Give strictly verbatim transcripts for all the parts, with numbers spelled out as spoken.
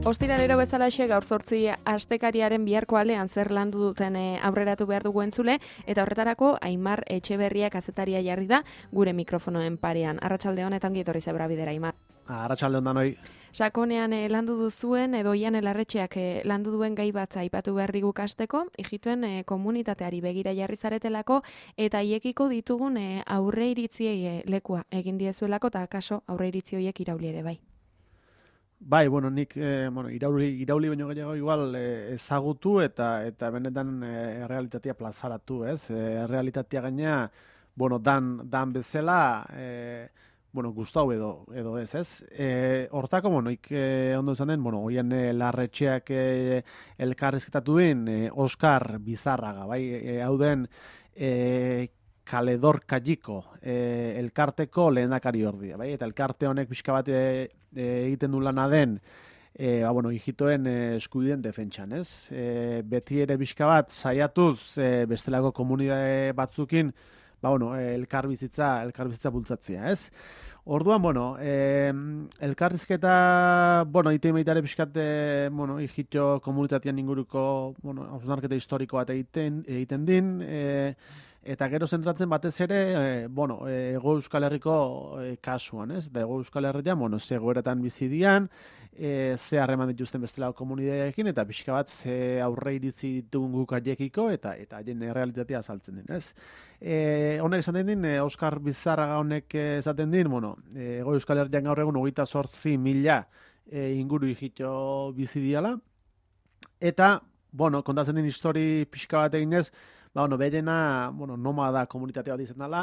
Ostiralero bezalaxe gaur zortzi astekariaren biharko alean zer landu duten e, aurreratu behar dugu entzule, eta horretarako Aimar Etxeberria kazetaria jarri da gure mikrofonoen parean. Arratsalde honetan gietorri zebra bidera, Aimar. Arratsalde honetan hoi. Sakonean e, landu duzuen edo Ian Larretxeak e, landu duen gai bat aipatu behar digu kasteko, ijituen e, komunitateari begira jarri zaretelako eta hiekiko ditugun e, aurre iritziei e, lekua egin diezuelako eta kaso aurre iritzi horiek irauli ere bai. Bai, bueno, nik eh, bueno, irauli, irauli baino gehiago igual eh, ezagutu eta eta benetan eh, realitatea plazaratu, ez? Eh, realitatea gaina, bueno, dan, dan bezala, eh, bueno, gustau edo, edo ez, ez? Eh, hortako, bueno, ik eh, ondo izan den, bueno, oian eh, Larretxeak eh, elkarrizketatu din, eh, Oskar Bizarraga, bai? Eh, hau den, eh, Kaledor Kalliko, e, elkarteko lehendakari ordia, bai? Eta elkarte honek pixka bat e, e, egiten du lana den, e, ba, bueno, hijitoen e, eskubideen defentsan, ez? E, beti ere pixka bat saiatuz e, bestelako komunitate batzukin, ba, bueno, e, elkarbizitza, elkarbizitza bultzatzea, ez? Orduan, bueno, e, elkarrizketa, bueno, ite meitare pixkat, e, bueno, hijito komunitatean inguruko, bueno, hausnarketa historiko bat egiten, egiten din, e, eta gero zentratzen batez ere, e, bueno, Hego Euskal Herriko e, kasuan, ez? Eta Hego Euskal Herrian, bueno, ze goeretan bizi dian, e, ze harreman dituzten bestelako komunitateekin, eta pixka bat ze aurre iritzi ditugun guk aiekiko, eta eta haien realitatea azaltzen din, ez? E, honek esaten din, e, Oskar Bizarraga honek esaten din, bueno, e, Hego Euskal Herrian gaur egun hogeita zortzi mila e, inguru hijito bizi diala, eta, bueno, kontatzen din histori pixka bat eginez, ba, bueno, berena, bueno, nomada komunitatea bat izan dela,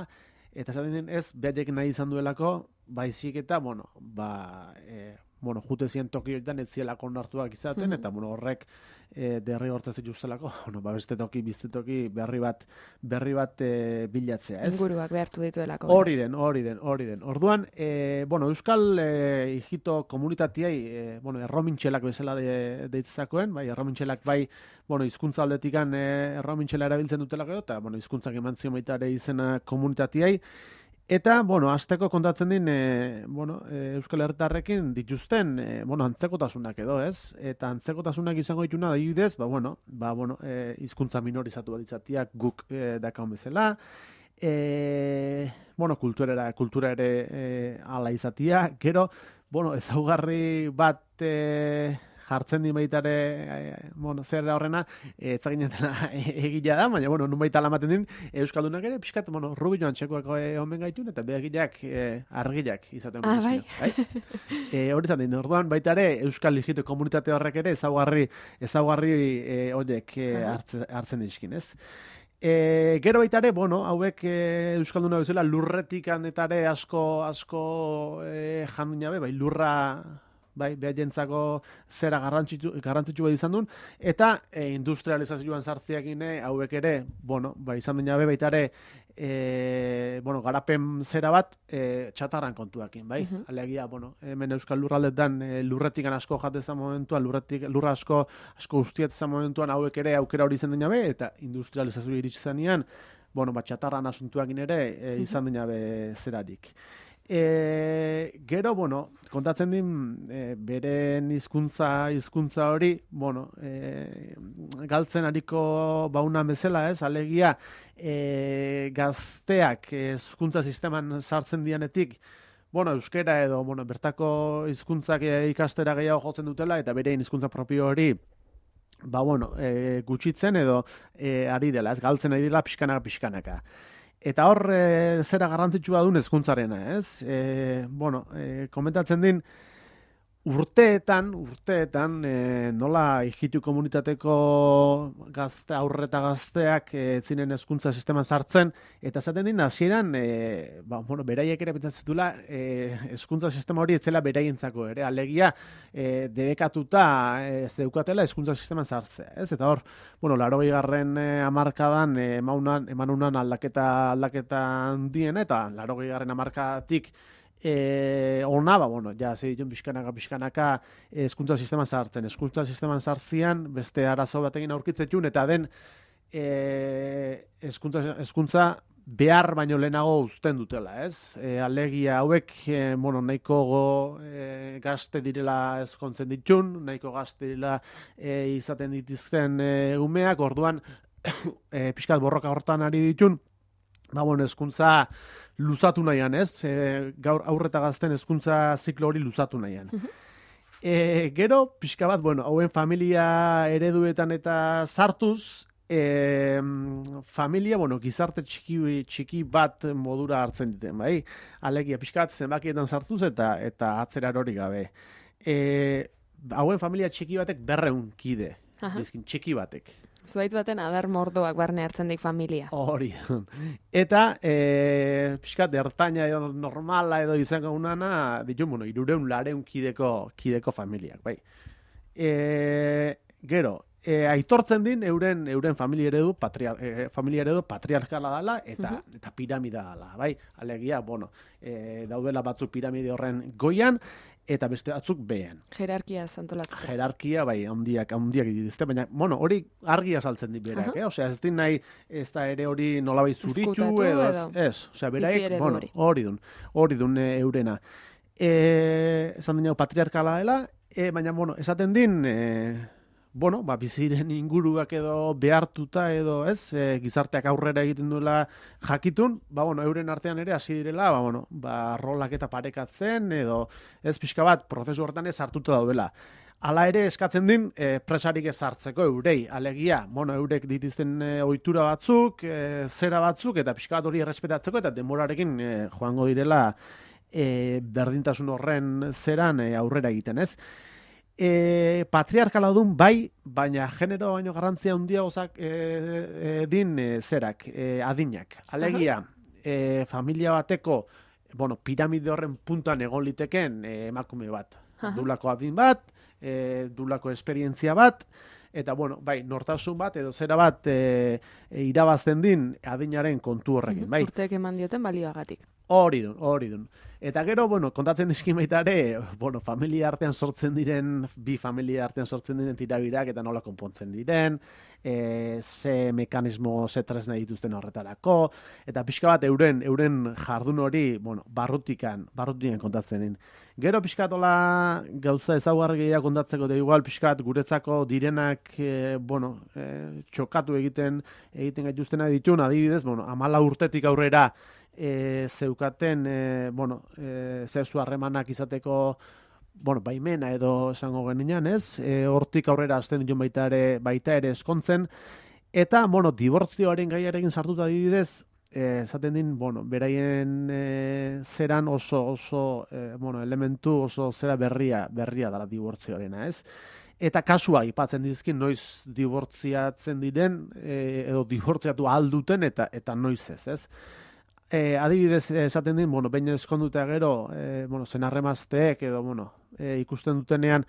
eta esaten ez, berek nahi izan duelako, baizik eta, bueno, ba, e, bueno, jute ziren toki horietan ez zielako onartuak izaten, mm-hmm. eta, bueno, horrek e, derri hortaz dituztelako, bueno, ba, beste toki, bizte toki, berri bat, berri bat e, bilatzea, ez? Inguruak behartu dituelako. Hori den, hori den, hori den. Orduan, e, bueno, Euskal e, hijito komunitatiai, e, bueno, erromintxelak bezala de, deitzakoen, bai, erromintxelak bai, bueno, hizkuntza aldetikan e, erromintxela erabiltzen dutelako, eta, bueno, hizkuntzak eman zion baita ere izena komunitatiai. Eta, bueno, azteko kontatzen din, e, bueno, e, Euskal Herritarrekin dituzten, e, bueno, antzekotasunak edo, ez? Eta antzekotasunak izango dituna adibidez, ba, bueno, ba, bueno, e, hizkuntza minorizatu bat izateak guk e, dakaun bezala, e, bueno, kulturera, kultura ere e, ala izatea, gero, bueno, ezaugarri bat e, jartzen di baitare, e, bueno, zer horrena, ez zaginetela egila da, baina, bueno, nun baita alamaten din, Euskaldunak ere, pixkat, bueno, Rubio Antxekoak omen gaitun, eta behagileak, e, argileak izaten. Ah, bai. bai? E, hori zaten din, orduan, baita ere, Euskal Hijito komunitate horrek ere, ezaugarri, ezaugarri e, horiek e, hartzen, hartzen dizkin, ez? E, gero baita ere, bueno, hauek e, Euskalduna bezala lurretik handetare asko, asko e, jandun jabe, bai, lurra, bai, behajentzako zera garrantzitsu, garrantzitsu bat izan duen, eta e, industrializazioan sartziakin hauek ere, bueno, bai, izan den jabe baita ere, e, bueno, garapen zera bat e, txatarran kontuakin, bai? Uh-huh. Alegia, bueno, hemen Euskal Lurraldetan e, lurretikan asko jatezan momentuan, lurretik, lurra asko, asko ustiatzezan momentuan hauek ere aukera hori izan den jabe, eta industrializazioa iritsi zanean, bueno, bat txatarran asuntuakin ere e, izan den jabe zerarik. E, gero, bueno, kontatzen din e, beren hizkuntza hizkuntza hori, bueno, e, galtzen ariko baunan bezala, ez? Alegia, e, gazteak hizkuntza sisteman sartzen dianetik, bueno, euskera edo, bueno, bertako hizkuntzak ikastera gehiago jotzen dutela, eta beren hizkuntza propio hori, ba, bueno, e, gutxitzen edo e, ari dela, ez? Galtzen ari dela pixkanaka, pixkanaka. Eta hor, e, zera garrantzitsua duen hezkuntzarena, ez? E, bueno, e, komentatzen din, urteetan, urteetan, e, nola hijitu komunitateko gazte, aurre eta gazteak e, zinen hezkuntza sisteman sartzen, eta esaten din, hasieran, e, ba, bueno, beraiek ere pentsatzitula, e, hezkuntza sistema hori etzela beraientzako ere, alegia, e, debekatuta e, zeukatela hezkuntza sisteman sartzea, ez? Eta hor, bueno, laurogei garren e, hamarkadan e, emaunan, emanunan aldaketa aldaketa handien, eta laurogei garren hamarkatik E, ona, ba, bueno, ja, ze ditun pixkanaka, pixkanaka hezkuntza sisteman sartzen. Hezkuntza sisteman sartzian, beste arazo batekin aurkitzetun, eta den hezkuntza, hezkuntza behar baino lehenago uzten dutela, ez? E, alegia hauek, e, bueno, nahiko go, e, gazte direla ezkontzen ditun, nahiko gazte direla e, izaten ditizten e, umeak, orduan e, pixkat borroka hortan ari ditun, ba, bueno, hezkuntza luzatu nahian, ez? E, gaur aurreta gazten hezkuntza ziklo hori luzatu nahian. E, gero, pixka bat, bueno, hauen familia ereduetan eta sartuz, e, familia, bueno, gizarte txiki, txiki bat modura hartzen diten, bai? Alegia, pixka bat zenbakietan sartuz eta eta atzerar hori gabe. E, hauen familia txiki batek berreun kide, bizkin, txiki batek. Zuaitz baten adar mordoak barne hartzen dik familia. Hori. Eta, e, pixkat, ertaina edo normala edo izango unana, ditu, bueno, irureun lareun kideko, kideko familiak, bai. E, gero, e, aitortzen din euren euren familia eredu, patriar, e, familia eredu patriarkala dela eta, uh-huh. eta piramida dela, bai. Alegia, bueno, e, daudela batzuk piramide horren goian, eta beste batzuk behean. Jerarkia antolatzeko. Jerarkia, bai, handiak, handiak dituzte, baina, bueno, hori argia saltzen dit berak, uh-huh. eh? Osea, ez din nahi, ez da ere hori nolabait zuritu, edo, edo, ez, osea, beraik, bueno, hori dun, hori dun e, eurena. E, esan dinau patriarkala dela, e, baina, bueno, esaten din, e, bueno, ba, biziren inguruak edo behartuta edo, ez, e, gizarteak aurrera egiten duela jakitun, ba, bueno, euren artean ere hasi direla, ba, bueno, ba, rolak eta parekatzen edo, ez, pixka bat, prozesu hortan ez hartuta daudela. Hala ere eskatzen din, e, presarik ez hartzeko eurei, alegia, bueno, eurek dituzten e, ohitura batzuk, e, zera batzuk, eta pixka bat hori errespetatzeko, eta denborarekin e, joango direla e, berdintasun horren zeran e, aurrera egiten, ez? E, patriarkala dun bai, baina genero baino garrantzia handia gozak e, e, din e, zerak, e, adinak. Alegia, e, familia bateko, bueno, piramide horren puntan egon liteken e, emakume bat. Aha. Dulako adin bat, e, dulako esperientzia bat, eta, bueno, bai, nortasun bat, edo zera bat e, e, irabazten din adinaren kontu horrekin, bai. Urteek eman dioten balioagatik. Hori dun, hori dun. Eta gero, bueno, kontatzen dizkin baita ere, bueno, familia artean sortzen diren, bi familia artean sortzen diren tirabirak eta nola konpontzen diren, e, ze mekanismo, ze tresna dituzten horretarako, eta pixka bat euren euren jardun hori, bueno, barrutikan, barrutikan kontatzen din. Gero pixka tola gauza ezaugarri gehiago kontatzeko, da igual pixka bat guretzako direnak, e, bueno, e, txokatu egiten, egiten gaituztena ditun, adibidez, bueno, amala urtetik aurrera, E, zeukaten, e, bueno, e, zezu harremanak izateko, bueno, baimena edo esango genian, ez? E, hortik aurrera azten ditun baita ere, baita ere eskontzen, eta, bueno, dibortzioaren gaiarekin sartuta adibidez, e, esaten din, bueno, beraien e, zeran oso, oso, e, bueno, elementu oso zera berria, berria dela dibortzioarena, ez? Eta kasua aipatzen dizkin noiz dibortziatzen diren, e, edo dibortziatu alduten, eta, eta noiz ez, ez? E, adibidez esaten din, bueno, behin eskondutea gero, e, bueno, zenarremazteek edo, bueno, e, ikusten dutenean,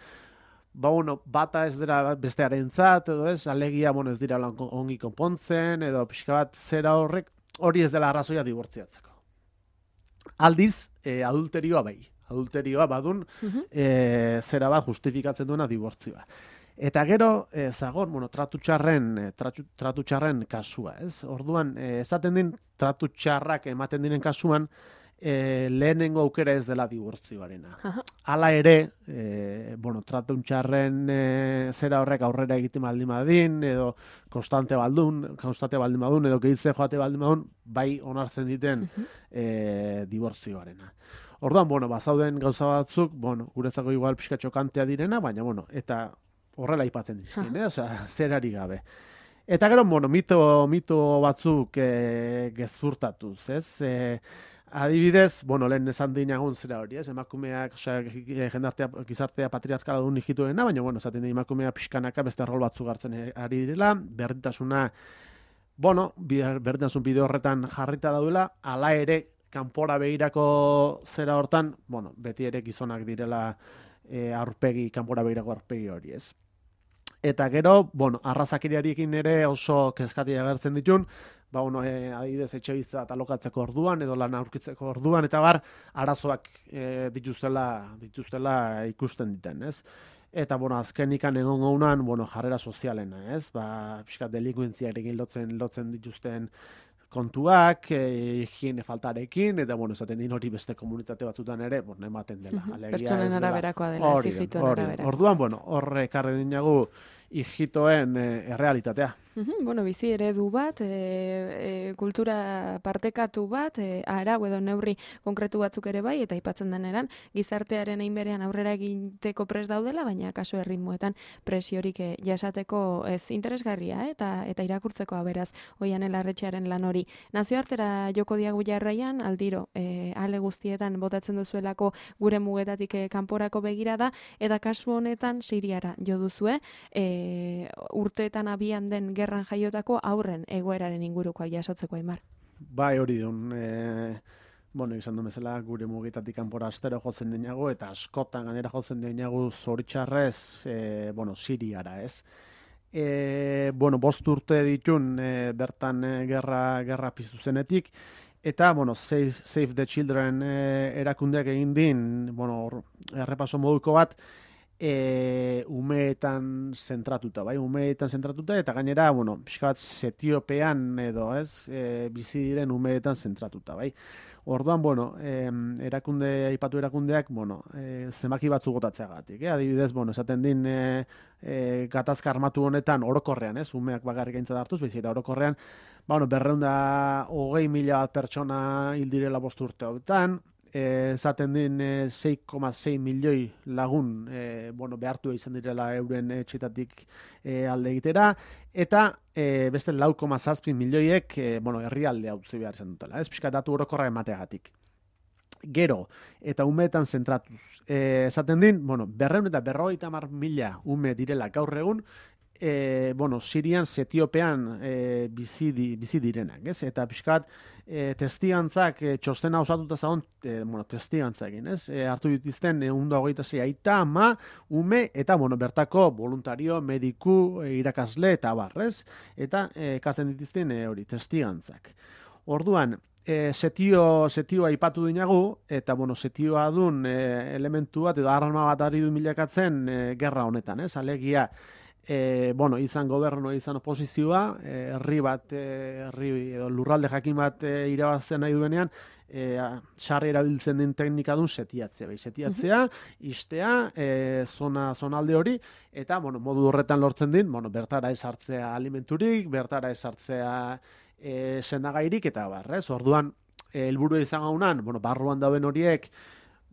ba, bueno, bata ez dira bestearentzat, edo ez, alegia, bueno, ez dira ongi konpontzen, edo pixka bat zera horrek, hori ez dela arrazoia dibortziatzeko. Aldiz, e, adulterioa bai, adulterioa badun, uh-huh. e, zera bat justifikatzen duena dibortzioa. Eta gero, e, zagon, bueno, tratu txarren, e, tratu, tratu txarren kasua, ez? Orduan, e, esaten din, tratu txarrak ematen diren kasuan, e, lehenengo aukera ez dela dibortzioarena. Hala ere, e, bueno, tratu txarren e, zera horrek aurrera egiten baldin badin, edo konstante baldun, konstante baldin badun, edo gehitze joate baldin badun, bai onartzen diten e, dibortzioarena. Orduan, bueno, bazauden gauza batzuk, bueno, guretzako igual pixka txokantea direna, baina, bueno, eta horrela aipatzen dizkin, eh? Osea, zerari gabe. Eta gero, bueno, mito, mito batzuk e, gezurtatuz, ez? E, adibidez, bueno, lehen esan dinagun zera hori, ez? Emakumeak, osea, jendartea, gizartea patriarkala duen hijituena, baina, bueno, esaten dira emakumea pixkanaka beste rol batzuk hartzen ari direla, berdintasuna, bueno, berdintasun bide horretan jarrita daudela, hala ere, kanpora begirako zera hortan, bueno, beti ere gizonak direla e, aurpegi, kanpora begirako aurpegi hori, ez? Eta gero, bueno, arrazakiriarekin ere oso kezkatia agertzen ditun, ba, bueno, e, adibidez etxe bizitza bat alokatzeko orduan, edo lan aurkitzeko orduan, eta bar, arazoak e, dituztela, dituztela ikusten diten, ez? Eta, bueno, azkenikan egon gaunan, bueno, jarrera sozialena, ez? Ba, pixkat delinkuentziarekin lotzen, lotzen dituzten kontuak, e, higiene faltarekin, eta, bueno, esaten din hori beste komunitate batzutan ere, bon, ematen dela. Alegia, pertsonen araberakoa dela, ez hijituen araberakoa. Orduan, bueno, horre ekarri dinagu hijitoen e, errealitatea. Bueno, bizi eredu bat, e, e, kultura partekatu bat, e, arau edo neurri konkretu batzuk ere bai, eta aipatzen deneran, gizartearen einberean aurrera egiteko pres daudela, baina kaso erritmoetan presiorik e, jasateko ez interesgarria, eh? eta eta irakurtzeko beraz Oihanen Larretxearen lan hori. Nazioartera joko diagu jarraian, aldiro, e, ale guztietan botatzen duzuelako gure mugetatik e, kanporako begirada, eta kasu honetan Siriara jo duzue, e, urteetan abian den gerran jaiotako aurren egoeraren ingurukoak jasotzeko, Aimar. Bai, hori dun, e, bueno, izan du bezala gure mugitatik kanpora astero jotzen dinago, eta askotan gainera jotzen dinago zoritxarrez, e, bueno, Siriara, ez? E, bueno, bost urte ditun e, bertan e, gerra, gerra piztu zenetik, eta, bueno, Save, Save the Children e, erakundeak egin din, bueno, errepaso moduko bat, E, umeetan zentratuta, bai, umeetan zentratuta, eta gainera, bueno, pixka bat Etiopean edo, ez, e, bizi diren umeetan zentratuta, bai. Orduan, bueno, e, erakunde, aipatu erakundeak, bueno, e, zenbaki batzu gotatzeagatik, eh? Adibidez, bueno, esaten din e, e, gatazka armatu honetan orokorrean, ez, umeak bakarrik aintzat hartuz, bizi eta orokorrean, ba, bueno, berreunda hogei mila pertsona hil direla bost urte hauetan, esaten din e, sei koma sei milioi lagun e, bueno, behartu izan direla euren etxetatik e, alde egitera, eta e, beste lau koma zazpi milioiek e, bueno, herrialde utzi behar izan dutela, ez pixka datu orokorra emateagatik. Gero, eta umeetan zentratuz, e, esaten din, bueno, berreun eta berrogeita hamar mila ume direla gaur egun, E, bueno, Sirian, Etiopean e, bizi, di, bizi direnak, ez? Eta pixkat e, testigantzak e, txostena osatuta zagon, e, bueno, testigantzakin, ez? E, hartu dituzten ehun eta hogeita sei aita, ama, ume, eta, bueno, bertako voluntario, mediku, e, irakasle, eta bar, ez? Eta e, ekartzen dituzten e, hori, testigantzak. Orduan, E, setio, setioa aipatu dinagu, eta, bueno, setioa dun e, elementu bat, edo arma bat ari du milakatzen e, gerra honetan, ez? Alegia, E, bueno, izan gobernu, izan oposizioa, e, herri bat, e, herri edo lurralde jakin bat e, irabazten nahi duenean, e, sarri erabiltzen den teknika dun setiatzea, bai, setiatzea, istea, e, zona, zonalde hori, eta, bueno, modu horretan lortzen din, bueno, bertara esartzea alimenturik, bertara esartzea e, sendagairik, eta barrez, orduan, helburu izan gaunan, bueno, barruan dauen horiek,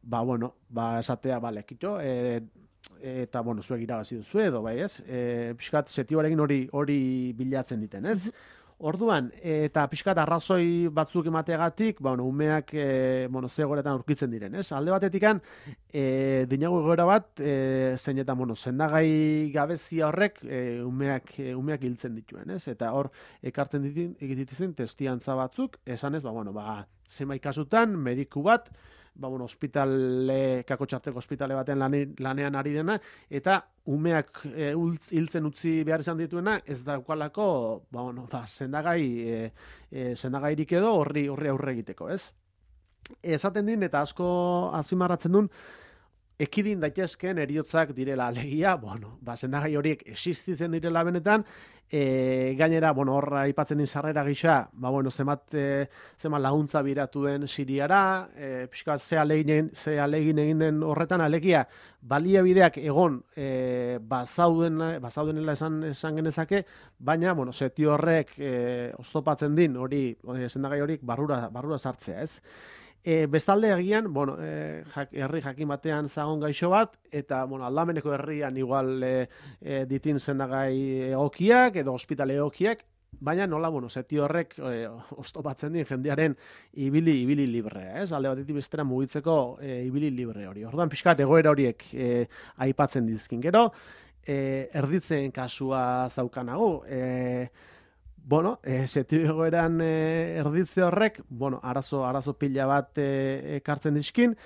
ba, bueno, ba, esatea, bale, kito, e, eta, bueno, zuek irabazi duzu edo, bai, ez? E, pixkat, setioarekin hori hori bilatzen diten, ez? Orduan, eta pixkat arrazoi batzuk emateagatik, ba, bueno, umeak, e, bueno, ze egoeretan aurkitzen diren, ez? Alde batetikan, e, dinago egoera bat, e, zein eta, bueno, sendagai gabezia horrek, e, umeak, e, umeak hiltzen dituen, ez? Eta hor, ekartzen ditin, egititzen testiantza batzuk, esanez, ba, bueno, ba, zenbait kasutan, mediku bat, ba, bueno, ospitale, kakotxarteko ospitale baten lanean ari dena, eta umeak e, hiltzen utzi behar izan dituena, ez daukalako, ba, bueno, ba, sendagai, e, e, sendagairik edo horri horri aurre egiteko, ez? Esaten din, eta asko azpimarratzen duen, ekidin daitezkeen heriotzak direla alegia, bueno, ba, sendagai horiek existitzen direla benetan, e, gainera, bueno, horra aipatzen din sarrera gisa, ba, bueno, zemat, e, zemat laguntza biratu den Siriara, e, pixka ze alegin, ze alegin egin den horretan alegia, baliabideak egon e, bazauden, bazaudenela esan, esan genezake, baina, bueno, setio horrek e, oztopatzen din, hori, e, sendagai horiek barrura, barrura sartzea, ez? E, bestalde egian, bueno, e, jak, herri jakin batean zagon gaixo bat, eta, bueno, aldameneko herrian igual e, e, ditin sendagai egokiak, edo ospitale egokiak, baina nola, bueno, seti horrek e, oztopatzen din jendearen ibili, ibili librea, ez? Alde batetik bestera mugitzeko e, ibili libre hori. Orduan pixkat egoera horiek e, aipatzen dizkin. Gero, e, erditzen kasua zaukanago, e, Bueno, e, setio egoeran e, erditze horrek, bueno, arazo, arazo pila bat e, ekartzen dizkin,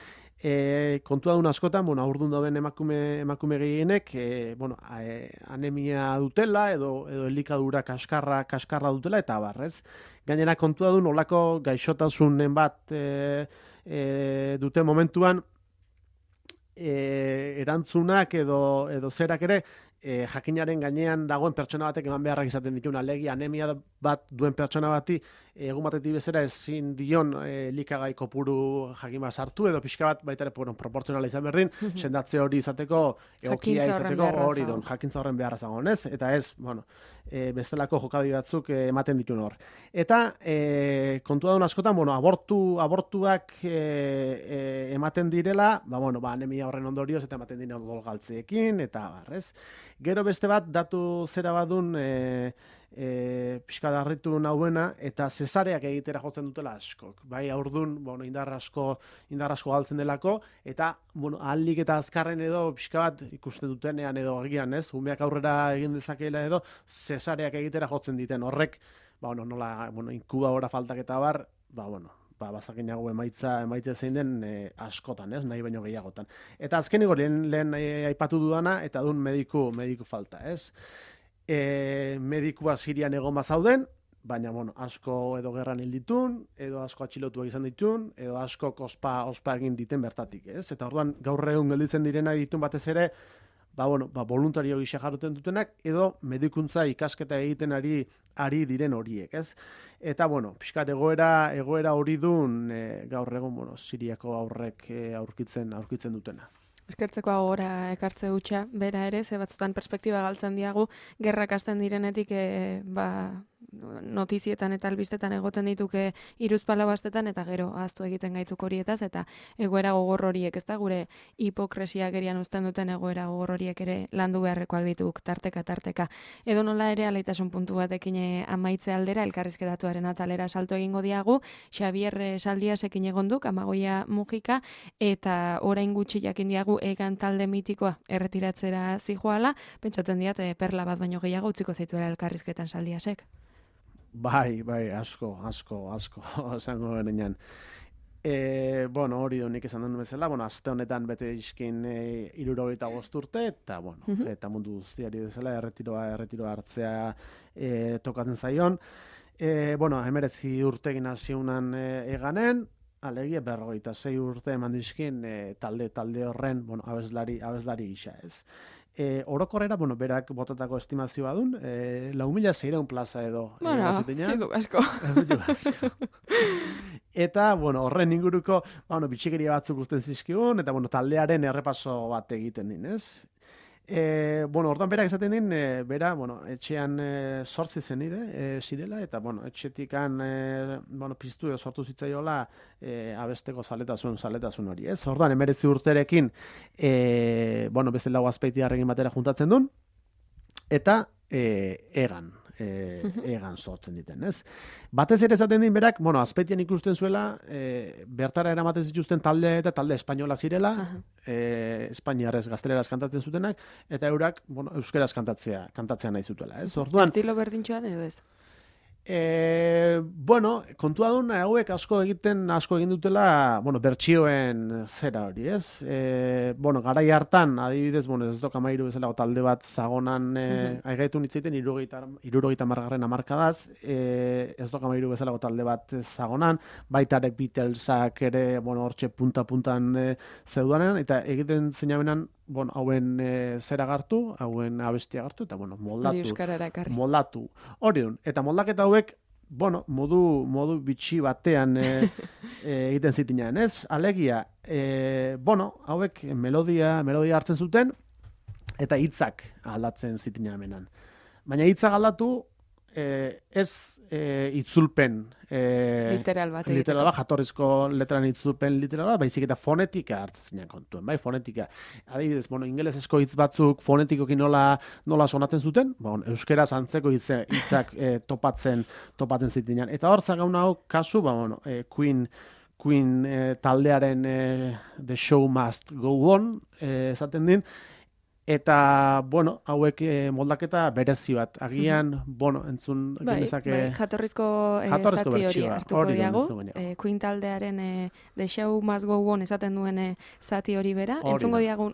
e, kontua duen askotan, bueno, aurdun dauden emakume, emakume gehienek, e, bueno, e, anemia dutela, edo, edo elikadura kaskarra, kaskarra dutela, eta barrez. Gainera kontua duen olako gaixotasunen bat e, e, duten momentuan, E, erantzunak edo, edo zerak ere e, jakinaren gainean dagoen pertsona batek eman beharrak izaten dituen alegia anemia bat duen pertsona bati egun batetik bezera ezin dion e, likagai kopuru jakima sartu edo pixka bat baita ere bueno, proportzionala izan berdin, sendatze hori izateko egokia izateko hori don, jakintza horren beharra zagoen, ez? Eta ez, bueno, e, bestelako jokadi batzuk e, ematen dituen hor. Eta e, kontua duen askotan, bueno, abortu, abortuak e, e, ematen direla, ba, bueno, ba, anemia horren ondorioz eta ematen diren odolgaltzeekin, eta barrez. Gero beste bat, datu zera badun, e, e, pixka darritu nahuena, eta zesareak egitera jotzen dutela askok. Bai, aurdun, bueno, indar asko, indar asko galtzen delako, eta, bueno, ahalik eta azkarren edo, pixka bat, ikusten dutenean edo agian, ez? Umeak aurrera egin dezakeela edo, zesareak egitera jotzen diten. Horrek, ba, bueno, nola, bueno, inkubadora faltak eta bar, ba, bueno, ba, bazakinago emaitza, emaitza zein den e, askotan, ez, nahi baino gehiagotan. Eta azkeniko lehen, lehen e, aipatu dudana, eta dun mediku, mediku falta, ez. E, medikua Sirian egon bazauden, baina, bueno, asko edo gerran hil ditun, edo asko atxilotuak izan ditun, edo asko ospa, ospa egin diten bertatik, ez. Eta orduan, gaur egun gelditzen direna ditun batez ere, ba, bueno, ba, voluntario gisa jarruten dutenak, edo medikuntza ikasketa egiten ari ari diren horiek, ez? Eta, bueno, pixkat egoera, egoera hori dun e, gaur egun, bueno, Siriako aurrek e, aurkitzen, aurkitzen dutena. Eskertzeko agora ekartze hutsa, bera ere, ze batzutan perspektiba galtzen diagu, gerrak hasten direnetik, e, ba, notizietan eta albistetan egoten dituke hiruzpalau astetan eta gero ahaztu egiten gaituk horietaz eta egoera gogor horiek, ez da, gure hipokresia gerian uzten duten egoera gogor horiek ere landu beharrekoak dituk tarteka tarteka. Edo nola ere alaitasun puntu batekin amaitze aldera elkarrizketatuaren atalera salto egingo diagu, Xabier Saldiasekin egonduk, Amagoia Mujika, eta orain gutxi jakin diagu egan talde mitikoa erretiratzera zijoala, pentsatzen diat perla bat baino gehiago utziko zaituela elkarrizketan Saldiasek. Bai, bai, asko, asko, asko, esango berenean. E, bueno, hori donik esan duen bezala, bueno, aste honetan bete izkin e, irurogeita urte, eta, bueno, uh -huh. eta mundu guztiari bezala, erretiroa, erretiroa hartzea e, tokatzen zaion. E, bueno, hemeretzi urtegin hasiunan e, eganen, alegia berrogeita sei urte eman dizkin e, talde, talde horren, bueno, abeslari, abeslari gisa, ez. E, orokorrera, bueno, berak botatako estimazioa dun, e, lau mila seiehun plaza edo. Bueno, ez du asko. asko. Eta, bueno, horren inguruko, bueno, bitxikeria batzuk uzten zizkigun, eta, bueno, taldearen errepaso bat egiten din, ez? E, bueno, ordan berak esaten din, e, bera, bueno, etxean e, sortzi zen ide, e, zirela, eta, bueno, etxetikan, e, bueno, piztu edo sortu zitzaiola e, abesteko zaletasun, zaletasun hori, ez? Ordan, emeretzi urterekin, e, bueno, beste lau azpeitiarrekin batera juntatzen duen, eta e, egan, e, egan sortzen diten, ez? Batez ere esaten din berak, bueno, azpeitian ikusten zuela, e, bertara eramaten zituzten talde eta talde espainola zirela, e, espainiarrez gazteleraz kantatzen zutenak, eta eurak, bueno, euskeraz kantatzea, kantatzea nahi zutela, ez? Orduan, estilo berdintxoan edo ez? E, bueno, kontua duen hauek asko egiten, asko egin dutela, bueno, bertsioen zera hori, ez? E, bueno, garai hartan, adibidez, bueno, ez doka mairu bezala talde bat zagonan, e, uh-huh. aigaitu nitzeiten, irurogeita margarren amarkadaz, e, ez doka mairu bezala talde bat zagonan, baitarek Beatlesak ere, bueno, hortxe punta-puntan e, zeudanen, eta egiten zeinabenan, bueno, hauen e, zera gartu, hauen abestia gartu, eta, bueno, moldatu. Moldatu. Hori dun. Eta moldaketa hauek, bueno, modu, modu bitxi batean e, e, egiten zitinean, ez? Alegia, e, bueno, hauek melodia, melodia hartzen zuten, eta hitzak aldatzen zitinean menan. Baina hitzak aldatu, e, ez e, itzulpen e, literal bat, literal bat, jatorrizko letran itzulpen literal bat, baizik eta fonetika hartzen kontuen, bai, fonetika. Adibidez, bueno, ingelesezko hitz batzuk fonetikoki nola, nola sonatzen zuten, bon, euskeraz antzeko hitze, hitzak e, topatzen, topatzen zitinean. Eta hor zagaun hau kasu, ba, bueno, e, Queen, Queen e, taldearen e, The Show Must Go On, e, esaten din, eta, bueno, hauek eh, moldaketa berezi bat. Agian, mm-hmm. bueno, entzun bai, genezake... Bai, jatorrizko, eh, jatorrizko zati hori hartuko diagu. Eh, Queen taldearen eh, The Show Must Go On esaten duen eh, zati hori bera. Hori entzungo diagu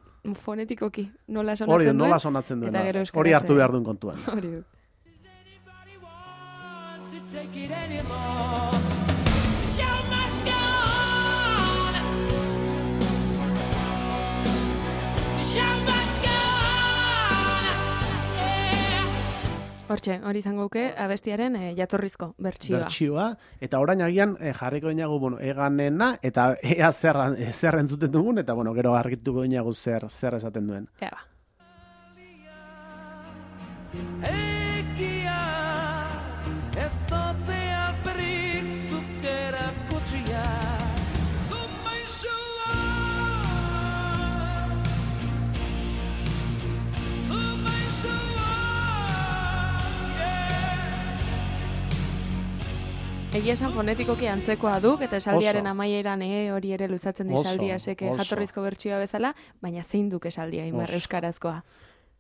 fonetikoki nola sonatzen hori, duen. Nola sonatzen duen. Eta gero hori hartu behar duen kontuan. Hori du. Hortxe, hori izango guke abestiaren e, jatorrizko bertsioa. Bertsioa, eta orain agian e, jarriko dinagu, bueno, eganena, eta ea zer, zer entzuten dugun, eta bueno, gero argituko dinagu zer, zer esaten duen. Ea ba. Ekia, ez zotea berrik zukera kutsia. Zumaixua, zumaixua, Egia esan fonetikoki antzekoa duk, eta esaldiaren Oso. amaieran e hori ere luzatzen di Oso, esaldia seke oso. jatorrizko bertsioa bezala, baina zein duk esaldia imar Oso. euskarazkoa.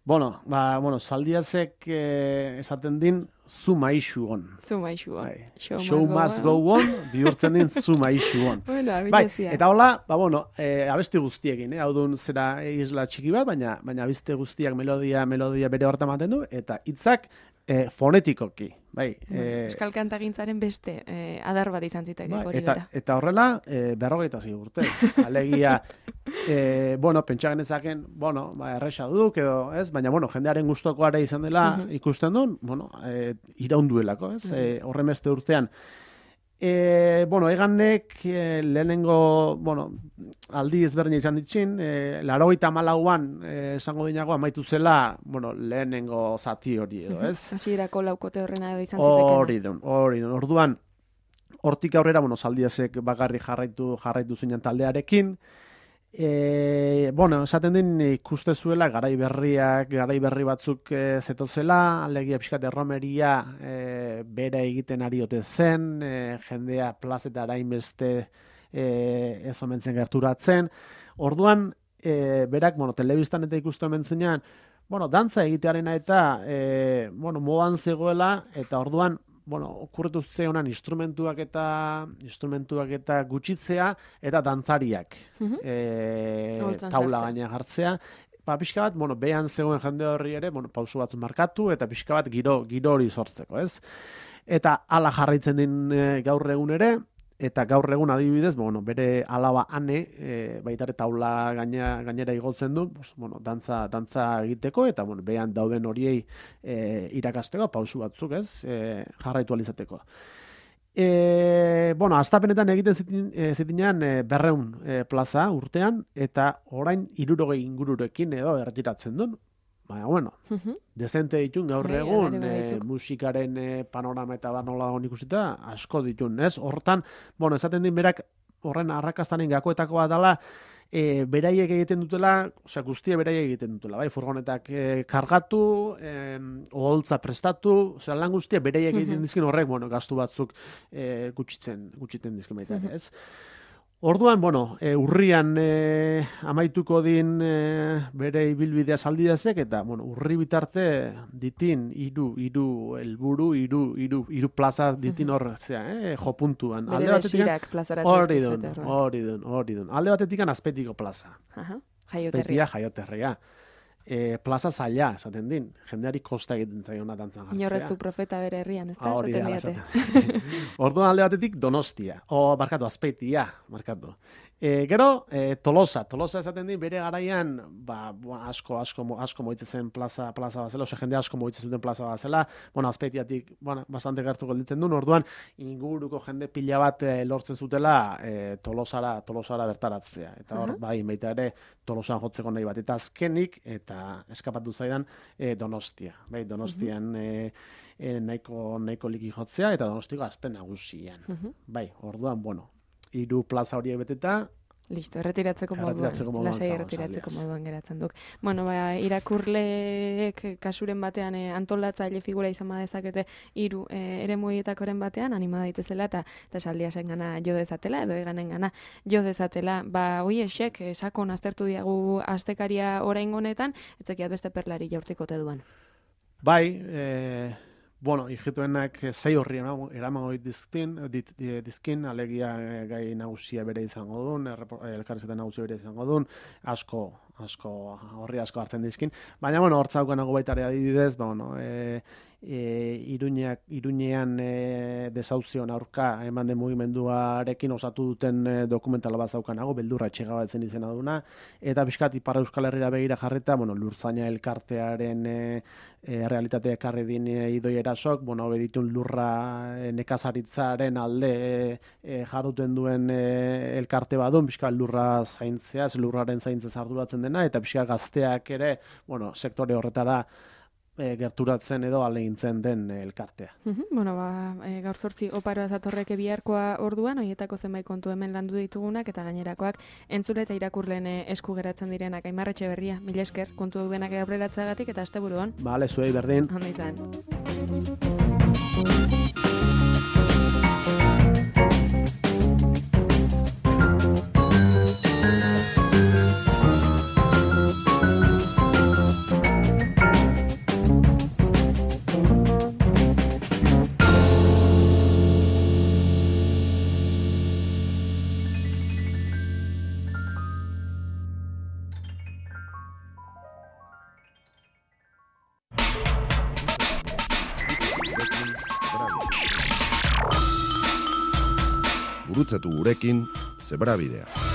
Bueno, ba, bueno, Zaldiazek eh, esaten din, zu maixu on. Zu maixua. Bai. Show, Show must go on, bihurtzen din zu maixu on. Bueno, Bai, abilezia. eta hola, ba, bueno, e, abesti guztiekin, eh? Hau dun zera isla txiki bat, baina baina abesti guztiak melodia, melodia bere horta ematen du, eta hitzak e, fonetikoki, bai. Bueno, E, Euskal kantagintzaren beste eh, adar bat izan ziteke bai, hori eta, bera. eta horrela, e, berrogeita zi urtez. Alegia, e, bueno, pentsa genezaken, bueno, ba, erresa duk edo, ez? Baina, bueno, jendearen gustokoare izan dela Mhm. ikusten duen, bueno, e, iraunduelako, ez? E, horren beste urtean. E, bueno, eganek e, lehenengo, bueno, aldi ezberdina izan ditxin, e, larogeita hamalauan e, esango dinago amaitu zela, bueno, lehenengo zati hori edo, ez? Hasierako laukote horrena edo izan zitekena. Hori dun, hori dun. Orduan, hortik aurrera, bueno, Zaldiazek bakarri jarraitu jarraitu zinen taldearekin. E, bueno, esaten din ikuste zuela garai berriak, garai berri batzuk e, zetozela, alegia pixkat erromeria e, bera egiten ari ote zen, e, jendea plazetara inbeste e, ez omentzen gerturatzen. Orduan, e, berak, bueno, telebistan eta ikustu hemen zenean, bueno, dantza egitearena eta, e, bueno, modan zegoela, eta orduan, bueno, okurritu zeonan instrumentuak eta instrumentuak eta gutxitzea eta dantzariak Mhm. e, Holtzan taula sartzea. gaina jartzea. Ba, pixka bat, bueno, behan zegoen jende horri ere, bueno, pausu batzu markatu eta pixka bat giro, giro hori sortzeko, ez? Eta hala jarraitzen din e, gaur egun ere, eta gaur egun adibidez, bueno, bere alaba ane, e, baita ere taula gaina, gainera igotzen du, pues, bueno, dantza, dantza egiteko, eta bueno, behan dauden horiei e, irakasteko, pausu batzuk, ez, e, jarraitu alizateko. E, bueno, astapenetan egiten zitin, e, zitinean e, berreun e, plaza urtean, eta orain hirurogei ingururekin edo ertiratzen duen. Baina, bueno, Mhm. dezente ditun gaur Bai, egun, alare e, badituk. musikaren e, panorama eta bar nola dagoen ikusita, asko ditun, ez? Hortan, bueno, esaten din berak horren arrakastanen gakoetakoa dela, e, beraiek egiten dutela, osea, guztia beraiek egiten dutela, bai, furgonetak e, kargatu, e, oholtza prestatu, osea, lan guztia beraiek egiten dizkin horrek, bueno, gastu batzuk e, gutxitzen, gutxiten dizkin baita, ere, ez? Orduan, bueno, e, urrian e, amaituko din e, bere ibilbidea Zaldiazek, eta, bueno, urri bitarte ditin hiru hiru helburu, hiru hiru hiru plaza ditin hor, zea, eh, jo puntuan. Bere Alde batetik, desirak plazaratzen hori dizkizuete dun, orduan. hori dun, hori dun. Alde batetik Azpeitiko plaza. Aha, Azpeitia jaioterria. jaioterria. E, plaza zaila, esaten din. Jendeari kosta egiten zaiona dantzan jartzea. Inorreztu profeta bere herrian, ez da? Ah, hori Esaten da, diate. esaten. Orduan alde batetik Donostia, o barkatu, Azpeitia, markatu. E, gero, e, Tolosa, Tolosa esaten din bere garaian, ba, bueno, asko, asko, mo- asko moitzen zen plaza, plaza bazela, ose jende asko moitzen zuten plaza bazela, bueno, Azpeitiatik, bueno, bastante gertu gelditzen duen, orduan, inguruko jende pila bat e, lortzen zutela e, Tolosara, Tolosara bertaratzea. Eta hor, Aha. bai, baita ere, Tolosan jotzeko nahi bat. Eta azkenik, eta eskapatu zaidan, e, Donostia. Bai, Donostian e, e, nahiko, nahiko liki jotzea, eta Donostiko azte nagusian. Mhm. Bai, orduan, bueno, hiru plaza horiek beteta, Listo, erretiratzeko moduan. Erretiratzeko moduan Lasai zago, erretiratzeko Zaldiaz. moduan geratzen duk. Bueno, ba, irakurleek kasuren batean eh, antolatzaile figura izan badezakete hiru eh, eremu horietakoren batean anima daitezela eta eta Zaldiasen gana jo dezatela edo eganen gana jo dezatela. Ba, hoiexek eh, sakon aztertu diagu astekaria oraingo honetan, etzekiat beste perlari jaurtikote duan. bai, e, bueno, hijituenak sei horri eramango dizkin, dit, di- dizkin, alegia e, gai nagusia bere izango duen, elkarrizketa nagusia bere izango duen, asko, asko, horri asko hartzen dizkin. Baina, bueno, hortzaukan nago baita ere adibidez, ba, bueno, e, e, Iruñeak, Iruñean e, desauzion aurka eman den mugimenduarekin osatu duten e, dokumentala bat zaukanago, beldurra etxegabatzen izena duna, eta pixkat Ipar Euskal Herrira begira jarreta, bueno, Lurzaina elkartearen e, e, realitatea ekarri din e, Idoi Erasok, bueno, beditun lurra e, nekazaritzaren alde e, e, jarduten duen e, elkarte badun, pixkat lurra zaintzea, lurraren zaintzez arduratzen dena, eta pixkat gazteak ere, bueno, sektore horretara E, gerturatzen edo alegintzen den elkartea. Uhum, bueno, ba, e, gaur zortzi oparoa zatorreke biharkoa orduan, horietako zenbait kontu hemen landu ditugunak, eta gainerakoak entzule eta irakurleen esku geratzen direnak. Aimar Etxeberria, mila esker, kontu dudenak aurreratzagatik eta asteburuan. Bale, zuei berdin. Ondo izan. Gurutzatu gurekin, Zebrabidea.